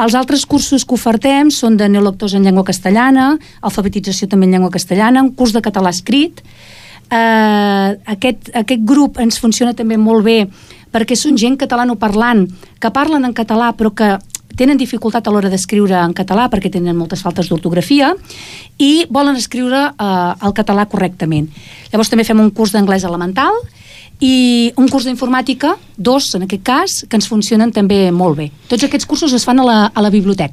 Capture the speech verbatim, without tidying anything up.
Els altres cursos que ofertem són de neolectors en llengua castellana, alfabetització també en llengua castellana, un curs de català escrit. Eh, aquest, aquest grup ens funciona també molt bé perquè són gent catalanoparlant que parlen en català però que tenen dificultat a l'hora d'escriure en català perquè tenen moltes faltes d'ortografia i volen escriure eh, el català correctament. Llavors també fem un curs d'anglès elemental i un curs d'informàtica, dos en aquest cas, que ens funcionen també molt bé. Tots aquests cursos es fan a la, a la biblioteca.